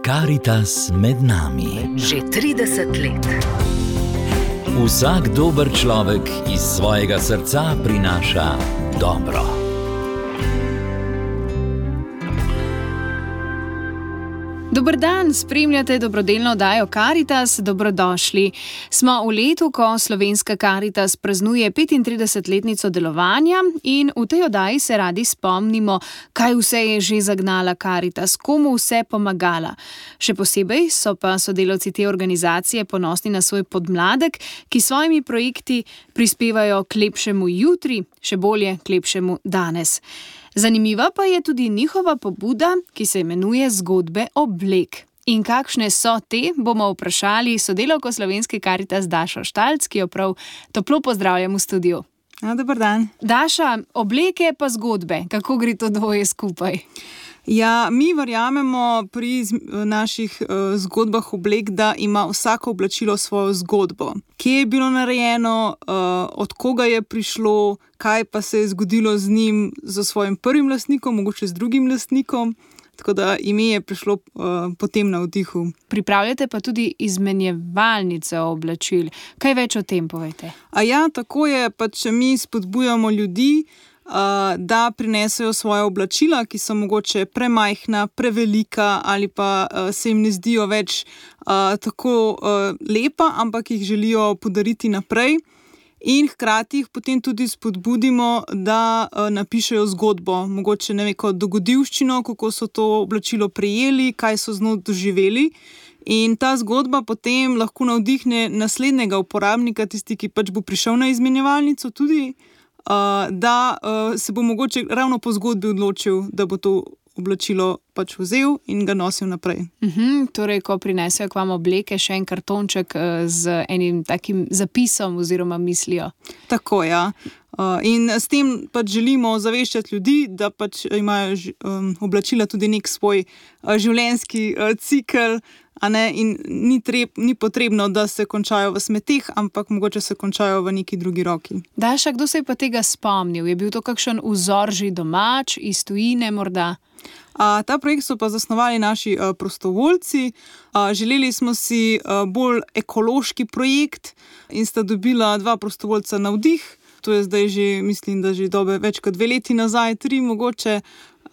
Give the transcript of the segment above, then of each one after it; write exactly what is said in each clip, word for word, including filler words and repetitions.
Karitas med nami. Že trideset let. Vsak dober človek iz svojega srca prinaša dobro. Dober dan, spremljate dobrodelno oddajo Karitas, dobrodošli. Smo v letu, ko Slovenska Karitas praznuje petintridesetletnico delovanja in v tej oddaji se radi spomnimo, kaj vse je že zagnala Karitas, komu vse pomagala. Še posebej so pa sodelavci te organizacije ponosni na svoj podmladek, ki s svojimi projekti prispevajo k lepšemu jutri, še bolje k lepšemu danes. Zanimiva pa je tudi njihova pobuda, ki se imenuje Zgodbe oblek. In kakšne so te, bomo vprašali sodelavko Slovenske Karitas Dašo Štalc, ki jo prav toplo pozdravljam v studiu. Ja, dober dan. Daša, obleke pa zgodbe, kako gre to dvoje skupaj? Ja, mi verjamemo pri naših uh, zgodbah oblek, da ima vsako oblačilo svojo zgodbo. Kje je bilo narejeno, uh, od koga je prišlo, kaj pa se je zgodilo z njim, z svojim prvim lastnikom, mogoče z drugim lastnikom. Tako da ime je prišlo uh, potem na vdihu. Pripravljate pa tudi izmenjevalnice oblačil. Kaj več o tem povejte? A ja, tako je, pač mi spodbujamo ljudi, Uh, da prinesejo svoje oblačila, ki so mogoče premajhna, prevelika ali pa uh, se jim ne zdijo več uh, tako uh, lepa, ampak jih želijo podariti naprej. In hkrati jih potem tudi spodbudimo, da uh, napišejo zgodbo, mogoče ne vem, kot dogodivščino, kako so to oblačilo prejeli, kaj so z njo doživeli. In ta zgodba potem lahko navdihne naslednjega uporabnika, tisti, ki pač bo prišel na izmenjevalnico tudi, Uh, da uh, se bo mogoče ravno po zgodbi odločil, da bo to oblačilo pač vzel in ga nosil naprej. Uhum, torej, ko prinesejo k vam obleke, še en kartonček uh, z enim takim zapisom oziroma mislijo. Tako, ja. Uh, in s tem pač želimo zaveščati ljudi, da pač imajo um, oblačila tudi nek svoj uh, življenjski uh, cikel, a ne, in ni, treb, ni potrebno, da se končajo v smeteh, ampak mogoče se končajo v neki drugi roki. Daša, kdo se je pa tega spomnil? Je bil to kakšen vzor že domač, iz tujine morda? A, ta projekt so pa zasnovali naši a, prostovoljci. A, želeli smo si a, bolj ekološki projekt in sta dobila dva prostovoljca navdih. To je zdaj že, mislim, da že dobe več kot dve leti nazaj, tri mogoče.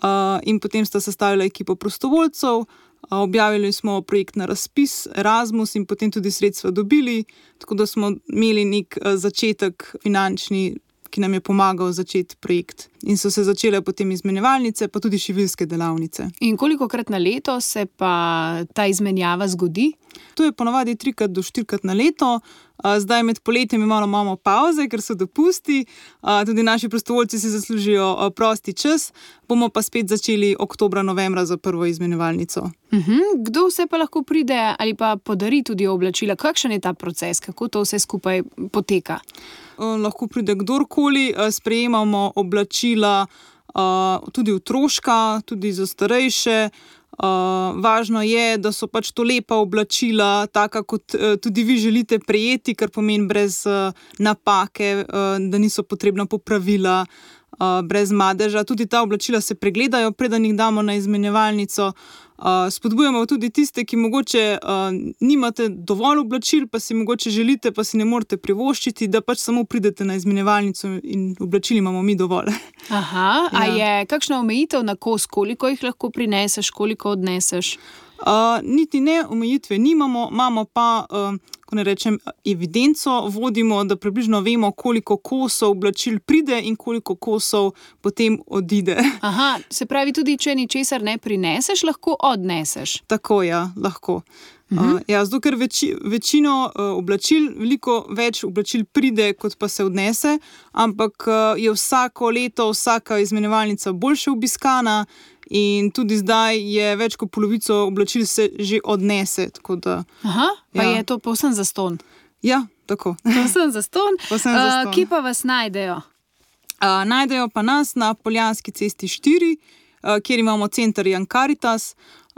A, in potem sta sestavila ekipo prostovoljcev. Objavili smo projekt na razpis Erasmus in potem tudi sredstva dobili, tako da smo imeli nek začetek finančni, ki nam je pomagal začeti projekt. In so se začele potem izmenjevalnice, pa tudi šiviljske delavnice. In kolikokrat na leto se pa ta izmenjava zgodi? To je ponavadi trikrat do štirikrat na leto. Zdaj med poletjem imamo malo pauze, ker so dopusti. Tudi naši prostovoljci si zaslužijo prosti čas. Bomo pa spet začeli oktobra, novembra za prvo izmenjevalnico. Uhum, kdo vse pa lahko pride ali pa podari tudi oblačila? Kakšen je ta proces? Kako to vse skupaj poteka? Lahko pride kdorkoli. Sprejemamo oblačila tudi otroška, tudi za starejše. Uh, važno je, da so pač to lepa oblačila, taka kot uh, tudi vi želite prejeti, kar pomeni brez uh, napake, uh, da niso potrebna popravila, uh, brez madeža. Tudi ta oblačila se pregledajo, preden jih damo na izmenjevalnico. Uh, spodbujamo tudi tiste, ki mogoče uh, nimate dovolj oblačil, pa si mogoče želite, pa si ne morete privoščiti, da pač samo pridete na izmenjevalnico in oblačil imamo mi dovolj. Aha, ja. A je kakšna omejitev na kos, koliko jih lahko prineseš, koliko odneseš? Uh, niti ne, omejitve nimamo, imamo pa, uh, ko ne rečem, evidenco, vodimo, da približno vemo, koliko kosov oblačil pride in koliko kosov potem odide. Aha, se pravi, tudi če ničesar ne prineseš, lahko odneseš. Tako, ja, lahko. Uh, ja, zato, ker veči, večino uh, oblačil, veliko več oblačil pride, kot pa se odnese, ampak uh, je vsako leto, vsaka izmenjevalnica boljše obiskana in tudi zdaj je več kot polovico oblačil se že odnese. Tako da, aha, pa ja. Je to povsem zastonj. Ja, tako. Povsem zastonj. Povsem zastonj. Uh, kje pa vas najdejo? Uh, najdejo pa nas na Poljanski cesti štiri, uh, kjer imamo center Young Karitas.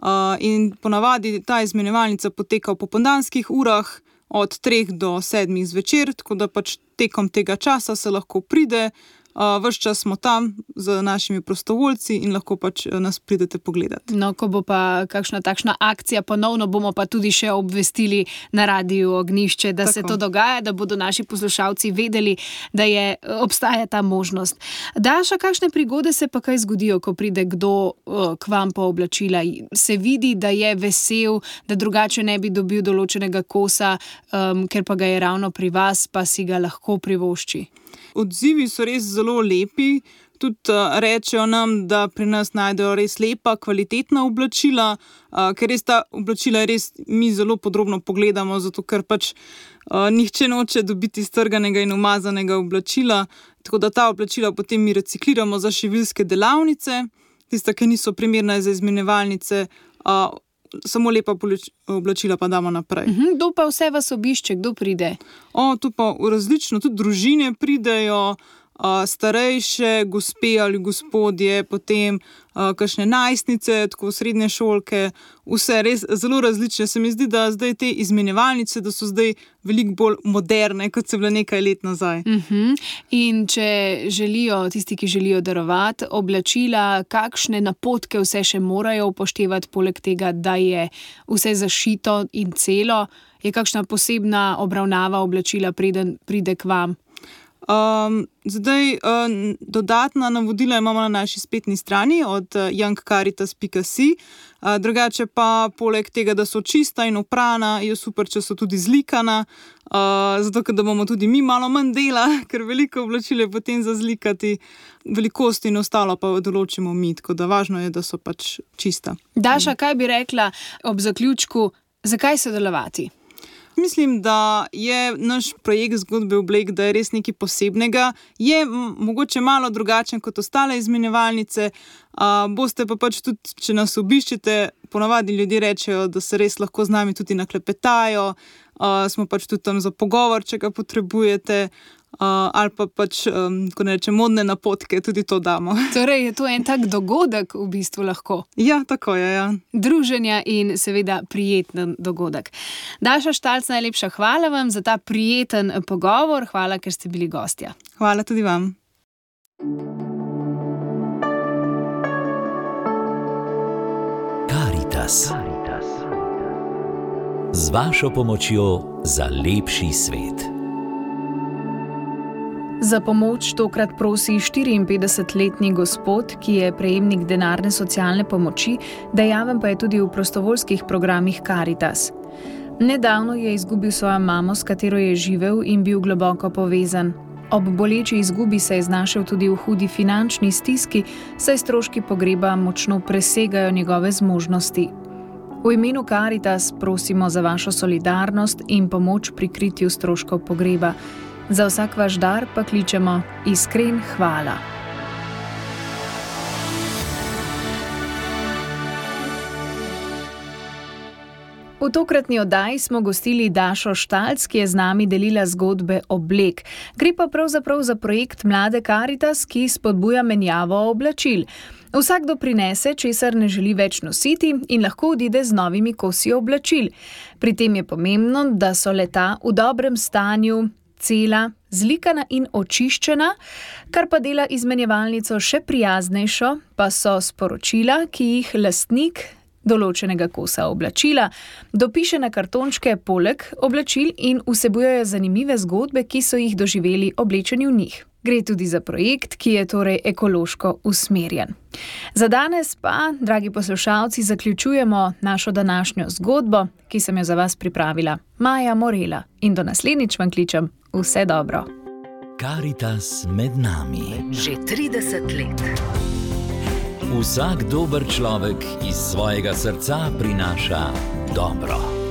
Uh, in ponavadi ta izmenjevalnica poteka v popoldanskih urah od treh do sedmih zvečer, tako da pač tekom tega časa se lahko pride, Uh, ves čas smo tam z našimi prostovoljci in lahko pač nas pridete pogledati. No, ko bo pa kakšna takšna akcija ponovno, bomo pa tudi še obvestili na Radiu Ognjišče, da Tako. se to dogaja, da bodo naši poslušalci vedeli, da je, obstaja ta možnost. Daša, kakšne prigode se pa kaj zgodijo, ko pride kdo uh, k vam po oblačila? Se vidi, da je vesel, da drugače ne bi dobil določenega kosa, um, ker pa ga je ravno pri vas, pa si ga lahko privošči? Odzivi so res zelo lepi, tudi uh, rečejo nam, da pri nas najdejo res lepa, kvalitetna oblačila, uh, ker res ta oblačila res mi zelo podrobno pogledamo, zato ker pač uh, nihče noče dobiti strganega in umazanega oblačila, tako da ta oblačila potem mi recikliramo za šiviljske delavnice, tiste, ki niso primerne za izmenjevalnice, uh, samo lepa oblačila pa damo naprej. Uhum, kdo pa vse vas obišče, kdo pride? O, tu pa različno, tudi družine pridejo, uh, starejše, gospe ali gospodje, potem uh, kakšne najstnice, tako srednje šolke, vse res zelo različne. Se mi zdi, da zdaj te izmenjevalnice, da so zdaj veliko bolj moderne, kot so bile nekaj let nazaj. Uhum. In če želijo, tisti, ki želijo darovati oblačila, kakšne napotke vse še morajo upoštevati, poleg tega, da je vse zašito in celo, je kakšna posebna obravnava oblačila, preden pride k vam? Um, zdaj, um, dodatna navodila imamo na naši spletni strani od uh, young caritas pika si. Uh, drugače pa, poleg tega, da so čista in oprana, je super, če so tudi zlikana, uh, zato ker da bomo tudi mi malo manj dela, ker veliko oblačil je potem za zlikati, velikost in ostalo pa določimo mi, tako da važno je, da so pač čista. Daša, kaj bi rekla ob zaključku, zakaj sodelovati? Mislim, da je naš projekt Zgodbe oblek, da je res nekaj posebnega. Je m- mogoče malo drugačen kot ostale izmenjevalnice. Uh, boste pa pač tudi, če nas obiščete, ponavadi ljudje rečejo, da se res lahko z nami tudi naklepetajo. Uh, smo pač tudi tam za pogovor, če ga potrebujete. Uh, ali pa pač, um, ko ne rečem, modne napotke, tudi to damo. Torej je to en tak dogodek v bistvu lahko. Ja, tako je, ja. Druženja in seveda prijeten dogodek. Daša Štalc, najlepša hvala vam za ta prijeten pogovor, hvala, ker ste bili gostja. Hvala tudi vam. Karitas. Z vašo pomočjo za lepši svet. Za pomoč tokrat prosi štiriinpetdesetletni gospod, ki je prejemnik denarne socialne pomoči, dejaven pa je tudi v prostovoljskih programih Karitas. Nedavno je izgubil svojo mamo, s katero je živel in bil globoko povezan. Ob boleči izgubi se je znašel tudi v hudi finančni stiski, saj stroški pogreba močno presegajo njegove zmožnosti. V imenu Karitas prosimo za vašo solidarnost in pomoč pri kritju stroškov pogreba. Za vsak vaš dar pa kličemo iskren hvala. V tokratni oddaji smo gostili Dašo Štalc, ki je z nami delila zgodbe oblek. Gre pa pravzaprav za projekt Mlade Karitas, ki spodbuja menjavo oblačil. Vsakdo prinese, česar ne želi več nositi in lahko odide z novimi kosi oblačil. Pri tem je pomembno, da so leta v dobrem stanju, cela, zlikana in očiščena, kar pa dela izmenjevalnico še prijaznejšo, pa so sporočila, ki jih lastnik določenega kosa oblačila dopiše na kartončke poleg oblačil in vsebujejo zanimive zgodbe, ki so jih doživeli oblečeni v njih. Gre tudi za projekt, ki je torej ekološko usmerjen. Za danes pa, dragi poslušalci, zaključujemo našo današnjo zgodbo, ki sem jo za vas pripravila Maja Morela. In do naslednjič vam kličem vse dobro. Karitas med nami. Že trideset let. Vsak dober človek iz svojega srca prinaša dobro.